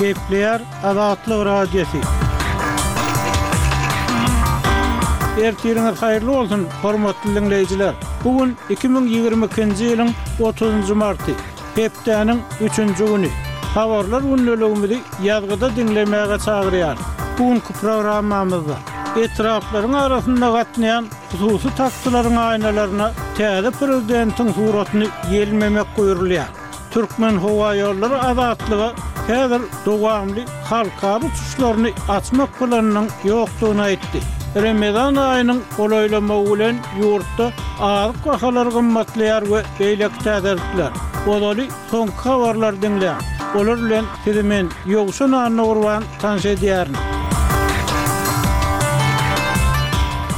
Gepleýär Azatlyk Radiosy. Ertiriňiz haýyrly bolsun, hormatly diňleýjiler! Bu gün 2022-nji ýylyň otuzynjy marty, hepdäniň üçünji güni. Habarlar gündeligimizi ýazgyda diňlemäge çagyrýarys. Bu günki programmamyzda etraplaryň arasynda gatnaýan hususy taksilaryň aýnalaryna täze prezidentiň suratyny ýelmemek buýrulýar. Türkmenhowaýollary Azatlyga häzir dowamly halkara uçuşlaryny açmak planynyň ýokdugyny aýtdy. Remezan aýynyň golaýlamagy bilen ýurtda azyk bahalary gymmatlaýar we beýleki täzelikler. Ozaly soňky habarlary diňläň. Olar bilen sizi men, Ýowşan Annagurban tanyş edýärin.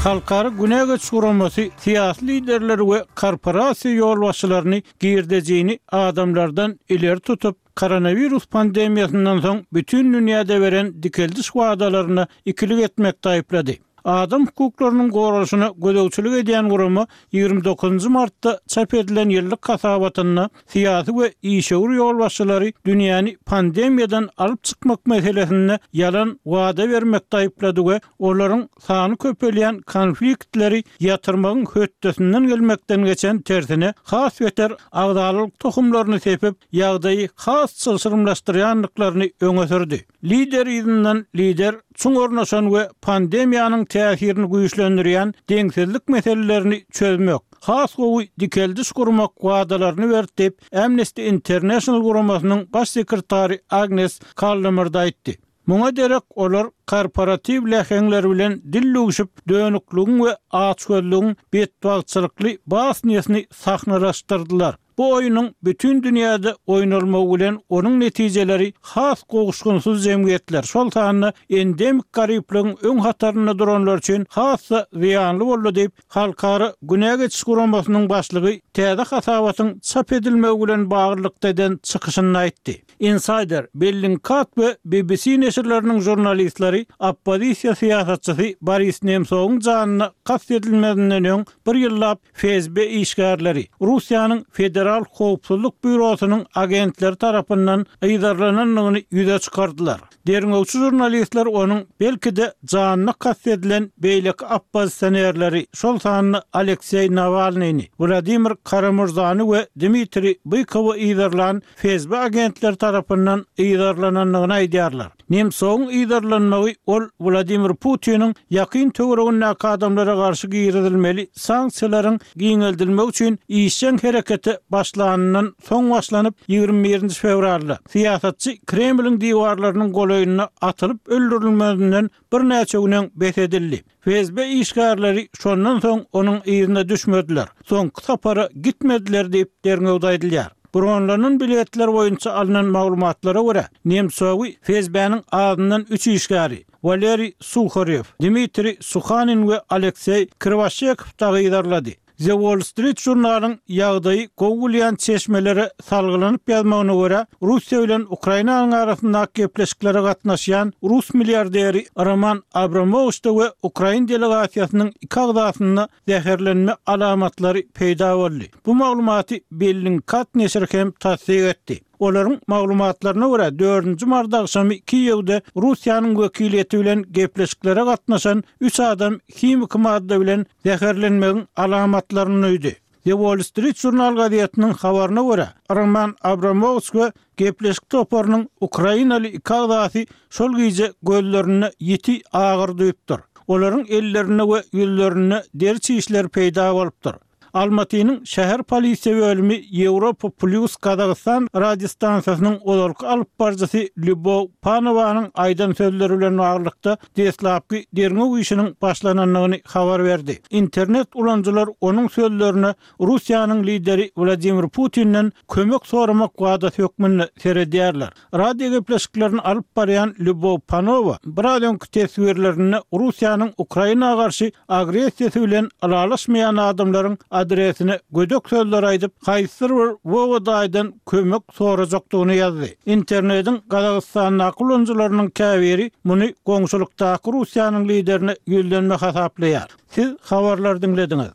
Halkara günä geçiş guramasy syýasy liderleri we korporasiýa ýolbaşçylaryny girdejini adamlardan ileri tutup, koronawirus pandemiýasyndan soň bütin dünýäde beren dikeldiş wadalaryna ikilik etmekde aýyplady. Adam hukuklarynyň goralyşyna gözegçilik edýän gurama 29 martda çap edilen ýyllyk hasabatynda syýasy we işewür ýolbaşçylary dünýäni pandemiýadan alyp çykmak meselesinde ýalan wada bermekde aýyplady we olaryň sany köpelýän konfliktleri ýatyrmagyň hötdesinden gelmekden geçen tersine has beter agzalalyk tohumlaryny sepip, ýagdaýy has çylşyrymlaşdyrýandyklaryny öňe sürdi. Lider yzyndan lider çuň ornaşan we pandemiýanyň täsirini güýçlendirýän deňsizlik meselelerini çözmek, has gowy dikeldiş gurmak wadalaryny berdi diýip, Amnesty International guramasynyň baş sekretary Agnes Kallamard aýtdy. Muňa derek olar korporatiw läheňler bilen dil düwşüp, dönükligiň we açgözlügiň betbagtçylykly basnýasyny sahnalaşdyrdylar. Bu oýnuň bütin dünýäde oýnalmagy bilen onuň netijeleri has gowuşgynsyz jemgyýetler, şol sanda endemik garyplygyň öň hatarynda duranlar üçin has-da zyýanly boldy diýip, Halkara günä geçiş guramasynyň başlygy täze hasabatyň çap edilmegi bilen baglylykda eden çykyşynda aýtdy. Insider, Bellingcat we BBC neşirleriniň žurnalistleri oppozisiýa syýasatçysy Boris Nemsowyň janyna kast edilmezinden öň bir ýyllap FSB işgärleri, Russiýanyň Federal howpsuzlyk býurosynyň agentleri tarapyndan yzarlanandygyny ýüze çykardylar. Derňewçi žurnalistler onuň, belki-de, janyna kast edilen beýleki oppozisionerleri, şol sanda Alekseý Nawalnyny, Wladimir Kara-Murzany we Dmitriý Bykowy yzarlan FSB agentleri tarapyndan yzarlanandygyny aýdýarlar. Nemtsowyň yzarlanmagy ol Wladimir Putiniň ýakyn töweregindäki adamlara garşy girizilmeli sanksiýalaryň giňeldilmegi üçin işjeň herekete başlanyndan soň başlanyp, 21 nji fewralda syýasatçy Kremliň diwarlarynyň golaýynda atylyp öldürilmezinden birnäçe gün öň bes edildi. FSB işgärleri şondan soň onuň yzyna düşmediler, soňky sapara gitmediler diýip, derňewde aýdylýar. Bronlanan biletler boýunça alnan maglumatlara görä, Nemtsowy FSB-niň azyndan üç işgäri, Waleriý Suharýow, Dmitriý Suhanin we Alekseý Kriwaşekow dagy yzarlady. The Wall Street Journal-yň ýagdaýy gowy bilýän çeşmelere salgylanyp ýazmagyna görä, Russiýa bilen Ukrainanyň arasyndaky gepleşiklere gatnaşýan rus milliarderi Roman Abramowiçde we ukrain delegasiýasynyň iki agzasynda zäherlenme alamatlary peýda boldy. Bu maglumaty Bellingcat neşiri hem tassyk etdi. Olaryň maglumatlaryna görä, dördünji mart agşamy Kiýewde Russiýanyň wekiliýeti bilen gepleşiklere gatnaşan üç adam himiki madda bilen zäherlenmegiň alamatlaryny duýdy. The Wall Street Journal gazetiniň habaryna görä, Roman Abramowiç we gepleşik toparynyň ukrainaly iki agzasy şol gije gözlerinde ýiti agyry duýupdyr. Olaryň ellerinde we ýüzlerinde deri çişleri peýda bolupdyr. Almatynyň şäher polisiýa bölümi Ýewropa Plýus Gazagystan radiostansiýasynyň ozalky alyp baryjysy Lýubow Panowanyň aýdan sözleri bilen baglylykda deslapky derňew işiniň başlanandygyny habar berdi. Internet ulanyjylar onuň sözlerine Russiýanyň lideri Wladimir Putinden kömek soramak wadasy hökmünde seredýärler. Radio gepleşiklerini alyp barýan Lýubow Panowa biraz öňki teswirlerinde Russiýanyň Ukraina garşy agressiýasy bilen ylalaşmaýan adamlaryň adresine gödek sözler aýdyp, haýsydyr bir Wowa daýydan kömek sorajakdygyny ýazdy. Internediň Gazagystandaky ulanyjylarynyň käbiri muny goňşulykdaky Russiýanyň liderine ýüzlenme hasaplaýar. Siz habarlary diňlediňiz.